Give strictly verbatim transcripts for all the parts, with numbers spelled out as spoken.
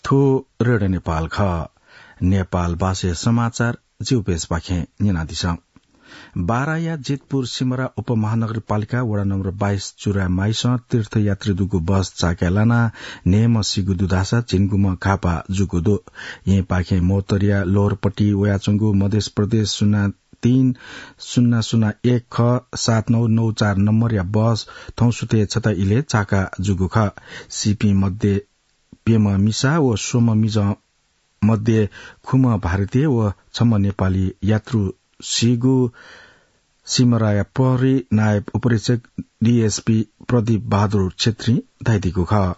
थ्व रेडियो नेपाल खः। नेपाल भाषाया समाचार जिगु पेजपाखें न्यनादिसँ। बाराया जितपुर सिमरा उपमहानगरपालिका वडा नम्बर बाइस चुरामाइसं तीर्थयात्री दुगु बस चाकाय् लानाः न्हय्म्ह सीगु दु धाःसा झिंगुम्ह घाःपाः जूगु दु। येँपाखें मोहतरिया लोहरपट्टि वयाच्वंगु मधेश प्रदेश शून्य तीन शून्य शून्य एक ख सात नौ नौ चार नम्बरया बस थौं सुथय् छता इलय् चाका जूगु खः। सीपिं मध्ये प्यम्ह मिसा व स्वम्ह मिजं मध्ये खुम्ह भारतीय व छम्ह नेपाली यात्रु सीगु सिमराया प्रहरी नायब उपरीक्षक डीएसपी प्रदीप बहादुर छेत्रीं धयादीगु खः।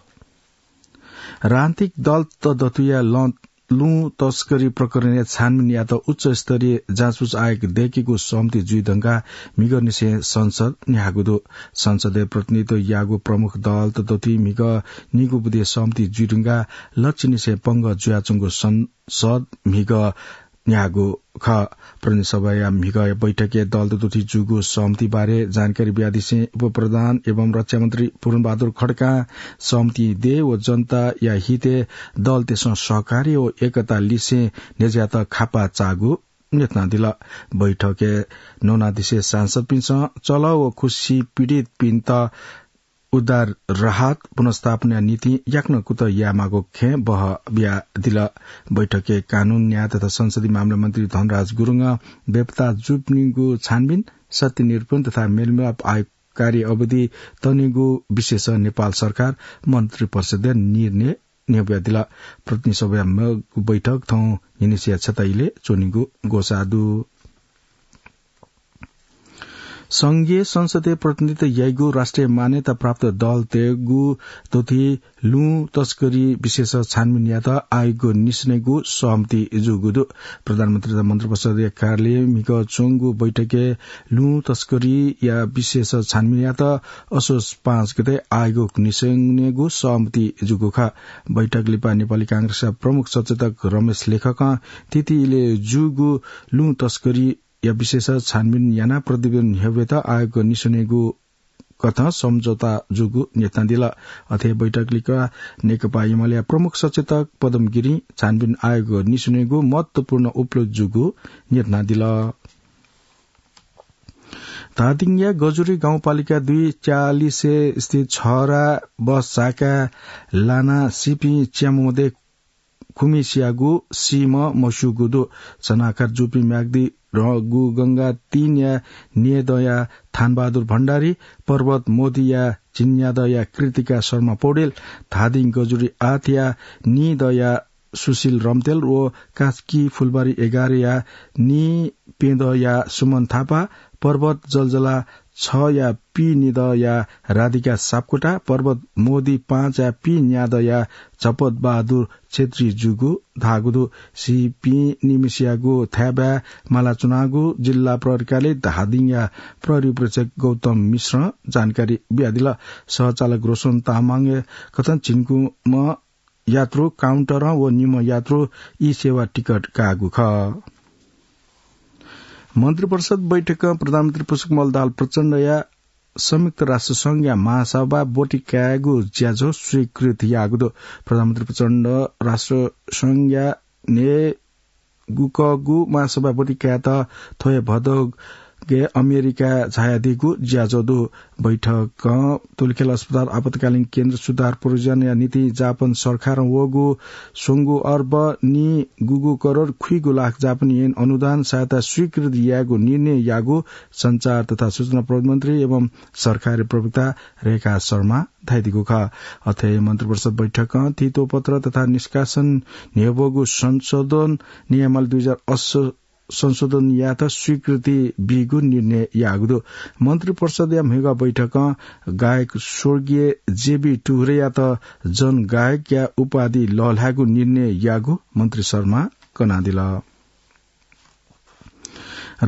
राजनीतिक दल तताकेहेँया लँ लुँ तस्करी प्रकरणया छानबिन यायेत उच्च स्तरीय जाँचबुझ आयोग दयेकेगु सहमति जुइ धुंकाः म्हिगःनिसें संसद न्ह्याःगु दु। संसदय् प्रतिनिधित्व याःगु प्रमुख दल तताकेहेँ म्हिगः निगू बुँदे सहमति जुइ धुंकाः लच्छि निसें पंगः जुयाच्वंगु संसद म्हिगः न्ह्याःगु खः। प्रतिनिधि सभाया म्हिगःया बैठकय् दल तताकेहेँ जूगु सहमति बारे जानकारी बियादिसें उपप्रधान एवं रक्षा मन्त्री पूर्णबहादुर खड्कां सहमति दये व जनताया हितय् दलतय्सं सहकार्य व एकता लिसें न्ह्यज्यात खापा चाःगु न्यनादिल। बैठकय् नवानादिसे सांसदपिन्सं चलः व खुसी पीडितपिन्त उद्धार राहत पुनर्स्थापनाया निंतिं याकनं कुतः यायेमाःगु खँय् बहः बियादिल। बैठकय् कानून, न्याय तथा संसदीय मामला मन्त्री धनराज गुरुङं बेपत्ता जूपिनिगु छानबिन, सत्य निरूपण तथा मेलमिलाप आयोग कार्य अवधि तनेगु विषयस नेपाल सरकार मन्त्री परिषदया निर्णय न्ह्यब्वयादिल। प्रतिनिधि सभाया मेगु बैठक थौं न्हिनिसिया छता इलय् च्वनेगु ग्वसाः दु। संघीय संसदय् प्रतिनिधित्व याइगु राष्ट्रिय मान्यता प्राप्त दलतय्गु दथुइ लुँ तस्करी विषयस छानबिन यायेत आयोगय् निसनेगु सहमति जूगु दु। प्रधानमन्त्री तथा मन्त्रिपरिषदया कार्यालयय् म्हिगः च्वंगु बैठकय् लुँ तस्करीया विषयस छानबिन यायेत असोज पाँच गते आयोगय् निसनेगु सहमति जूगु खः। बैठक लिपा नेपाली कांग्रेसया प्रमुख सचेतक रमेश लेखकं थीथी इलय् जूगु लुँ तस्करीया विषयस छानबिन यानाः प्रतिवेदन न्ह्यब्वयेत आयोगय् निसनेगु कथं सम्झौता जूगु न्यनादिल। अथे बैठक लिपा नेकपा एमालेया प्रमुख सचेतक पदम गिरिं छानबिन आयोगय् निसनेगु महत्वपूर्ण उपलब्धि जूगु न्यनादिल। धादिङया गजुरी गाउँपालिका दुई च्यालिसे स्थित छहरा बस चाकाय् लानाः सीपिं च्याम्ह मध्ये खुम्हिसियागु सीम्ह मस्यूगु दु। सनाघात जूपिं म्याग्दी रगुगंगा तीनया निदँया थानबहादुर भण्डारी, पर्वत मोदीया झिंन्यादँया कृतिका शर्मा पौडेल, धादिङ गजुरी आठया निदँया सुशील रम्तेल व कास्की फुलबारी एघारया निपेदँया सुमन थापा, पर्वत जलजला छया पीनिदँया राधिका सापकोटा, पर्वत मोदी पाँचया पीन्यादँया झपत बहादुर छेत्री जूगु धाःगु दु। सीपिं निम्हसियागु थाय्बाय् माला च्वनागु जिल्ला प्रहरी कार्यालय धादिङया प्रहरी उपरीक्षक गौतम मिश्रं जानकारी बियादिल। सहचालक रोशन तामाङया कथं झिंगुम्ह यात्रु काउन्टरं व निम्ह यात्रु ई सेवा टिकट काःगु खः। मन्त्रिपरिषद बैठकं प्रधानमन्त्री पुष्पकमल दाहाल प्रचण्डया संयुक्त राष्ट्र संघया महासभा ब्वति कायेगु ज्याझ्वः स्वीकृत याःगु दु। प्रधानमन्त्री प्रचण्ड राष्ट्र संघया न्हय्गुकःगु महासभा ब्वति कायेत थ्व हे भदौगय् अमेरिका झायादीगु ज्याझ्वः दु। बैठकं तुलखेल अस्पताल आपतकालीन केन्द्र सुधार परियोजनाया निंतिं जापान सरकारं वःगु स्वंगू अर्ब निगूगू करोड खुइगू लाख जापानी येन अनुदान सहायता स्वीकृत यायेगु निर्णय याःगु सञ्चार तथा सूचना प्रविधि मन्त्री एवं सरकारी प्रवक्ता रेखा शर्मां धयादीगु खः। अथे मन्त्रिपरिषद बैठकं तितोपत्र तथा निष्कासन न्ह्यब्वःगु संशोधन नियमावली दुई हजार अस्सी संशोधन यायेत स्वीकृति बीगु निर्णय याःगु दु। मन्त्रिपरिषदया म्हिगः बैठकं गायक स्वर्गीय जेबी टुह्रेयात जनगायकया उपाधि लःल्हायेगु निर्णय याःगु मन्त्री शर्मां कनादिल।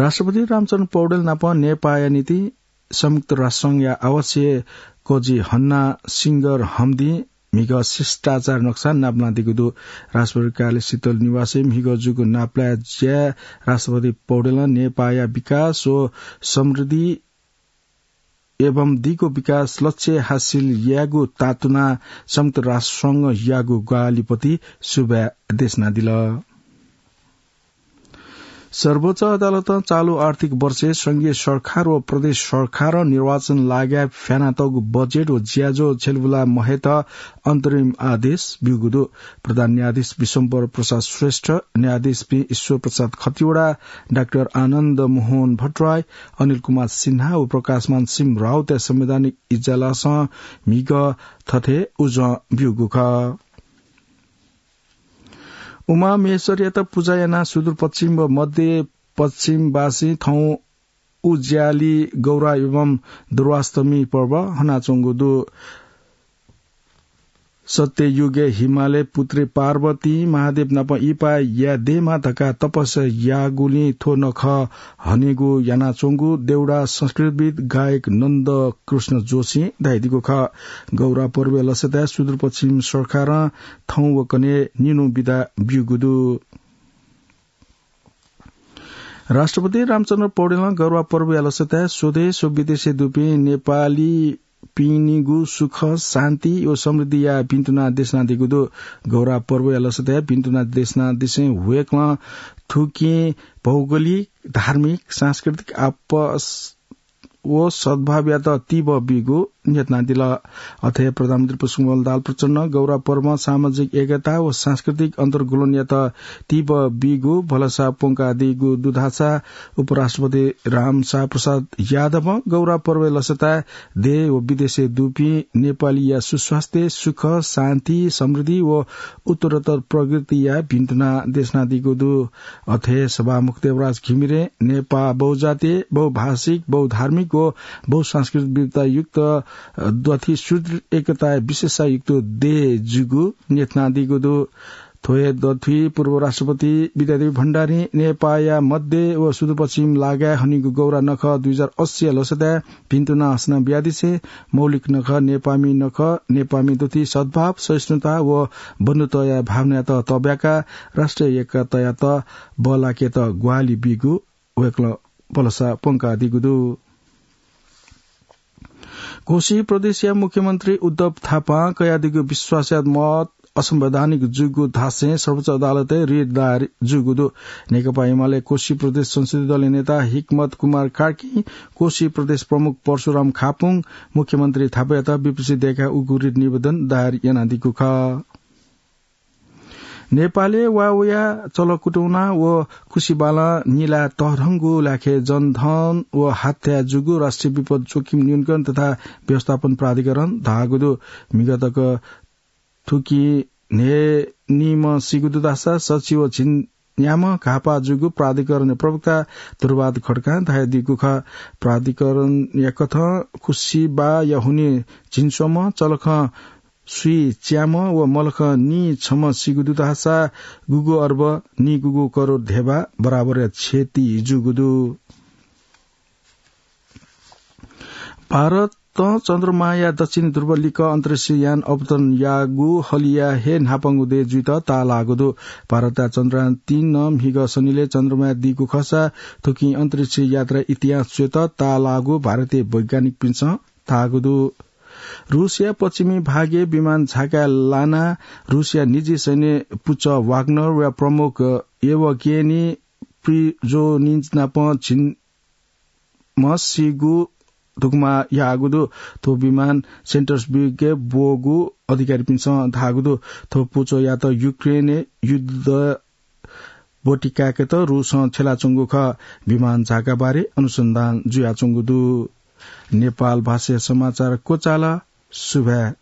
राष्ट्रपति रामचन्द्र पौडेल नाप नेपाःया निंतिं संयुक्त राष्ट्रसंघया आवासीय कजि हन्ना सिंगर हमदिं म्हिगः शिष्टाचार नक्सा नापलानादीगु दु। राष्ट्रपति कार्यालय शीतल निवासय् म्हिगः जूगु नापलाये ज्याय् राष्ट्रपति पौडेलं नेपाःया विकास व समृद्धि एवं दीगो विकास लक्ष्य हासिल यायेगु तातुना संयुक्त राष्ट्र संघ यागु ग्वाहालिपति सुभाय् देशनादिल। सर्वोच्च अदालतं चालु आर्थिक वर्षय् संघीय सरकार व प्रदेश सरकारं निर्वाचन लागाय् फ्यानातःगु बजेट व ज्याझ्वः छ्यलबुला महेत अन्तरिम आदेश ब्यूगु दु। प्रधान न्यायाधीश विश्वम्भर प्रसाद श्रेष्ठ, न्यायाधीशपिं ईश्वर प्रसाद खतिवडा, डाक्टर आनन्द मोहन भट्टराई, अनिल कुमार सिन्हा व प्रकाशमान सिंह राउतया संवैधानिक इजलासं म्हिगः थथे उजं ब्यूगु खः। उमामहेश्वरयात पुजा यानाः सुदूरपश्चिम व मध्य पश्चिमवासीं थौं उज्याली गौरा एवं दुर्वाष्टमी पर्व हनाच्वंगु दु। सत्ययुगय् हिमालय पुत्री पार्वतीं महादेव नाप इहिपाय् याये दयेमा धकाः तपस्या याःगुलिं थ्व नखः हनेगु यानाच्वंगु देउडा संस्कृतिविद् गायक नन्द कृष्ण जोशीं धयादीगु खः। गौरा पर्वया लसताय् सुदूरपश्चिम सरकारं थौं व कन्हय् निन्हु बिदा ब्यूगु दु। राष्ट्रपति रामचन्द्र पौडेलं गौरा पर्वया लसताय् स्वदेश व विदेशय् दुपिं नेपाली पिनिगु सुख, शान्ति व समृद्धिया भिन्तुना देशनादीगु दु। गौरा पर्वया लसताय् भिन्तुना देशनादिसें वय्कलं थुकिं भौगोलिक, धार्मिक, सांस्कृतिक आपस व सद्भावयात तीबः बीगु न्ह्यथनादिल। अथे प्रधानमन्त्री पुष्पकमल दाहाल प्रचण्डं गौरा पर्वं सामाजिक एकता व सांस्कृतिक अन्तर्गुलनयात तीबः बीगु भलसा प्वंकादीगु दु धाःसा उपराष्ट्रपति रामशाह प्रसाद यादवं गौरा पर्वया लसताय् देश व विदेशय् दुपिं नेपालीया सुस्वास्थ्य, सुख, शान्ति, समृद्धि व उत्तरोत्तर प्रगतिया भिन्तुना देशनादीगु दु। अथे सभामुख देवराज घिमिरें नेपाः बहुजातीय, बहुभाषिक, बहुधार्मिक व बहुसांस्कृतिक विविधतायुक्त, अ, दथुइ सुदृढ एकताया विशेषतायुक्त देश जूगु न्ह्यथनादीगु दु। थ्व हे दथुइ पूर्व राष्ट्रपति विद्यादेवी भण्डारीं नेपाःया मध्य व सुदूरपश्चिम लागाय् हनीगु गौरा नखः दुई हजार अस्सीया लसताय् भिन्तुना हसना बियादिसें मौलिक नखः, नेपाःमि नखः, नेपाःमि दथुइ सद्भाव, सहिष्णुता व बन्धुत्वया भावनायात तब्याकाः राष्ट्रिय एकतायात बल्लाकेत ग्वाहालि बीगु वय्कलं भलसा प्वंकादीगु दु। कोशी प्रदेशया मुख्यमन्त्री उद्धव थापां कयादीगु विश्वासयात मत असंवैधानिक जूगु धासें सर्वोच्च अदालतय् रिट दायर जूगु दु। नेकपा एमाले कोशी प्रदेश संसदीय दलया नेता हिकमत कुमार कार्कीं कोशी प्रदेश प्रमुख परशुराम खापुं मुख्यमन्त्री थापायात विपक्षी दय्काः उगु रिट निवेदन दायर यानादीगु खः। नेपालय् वा वया चलकुटुना व खुसिबालं निला तःधंगु लाखे जनधन व हत्या जूगु राष्ट्रिय विपद जोखिम न्यूनीकरण तथा व्यवस्थापन प्राधिकरणं धाःगु दु। म्हिगः तक थुकिं न्हय्निम्ह सीगु दु धाःसा सच्छि व झिंन्याम्ह घाःपाः जूगु प्राधिकरणया प्रवक्ता ध्रुवबहादुर खड्कां धयादीगु खः। प्राधिकरणया कथं खुसिबाया हुनिं झिंस्वम्ह, चलखं स्वीच्याम्ह व मलखं नीछम्ह सीगु दु धाःसा गुगु अर्ब नीगुगु करोड धेबा बराबरया क्षति जूगु दु। भारतं चन्द्रमाया दक्षिणी ध्रुव लिक्क अन्तरिक्ष यान अवतरण याःगु हलिया हे न्हापांगु देय् जुइत ताःलाःगु दु। भारतया चन्द्रयान तीन नं म्हिगः सनिलय् चन्द्रमाय् दीगु खःसा थुकिं अन्तरिक्ष यात्रा इतिहास च्वयेत ताःलाःगु भारतीय वैज्ञानिकपिन्सं धाःगु दु। रूसया पश्चिमी भागय् विमान झाका लानाः रूसया निजी सैन्य पुचः वाग्नरया प्रमुख येवगेनी प्रिजोनिन नाप झिंम्ह सीगु धुकुमा याःगु दु। थ्व विमान सेन्टर्सबर्गय् ब्वःगु अधिकारीपिन्सं धाःगु दु। थ्व पुचःयात युक्रेनय् युद्ध ब्वति काय्केत रूसं छ्यलाच्वंगु खः। विमान झाका बारे अनुसन्धान जुयाच्वंगु दु। नेपाल भाषाया समाचार क्वचाल। सुभाय्।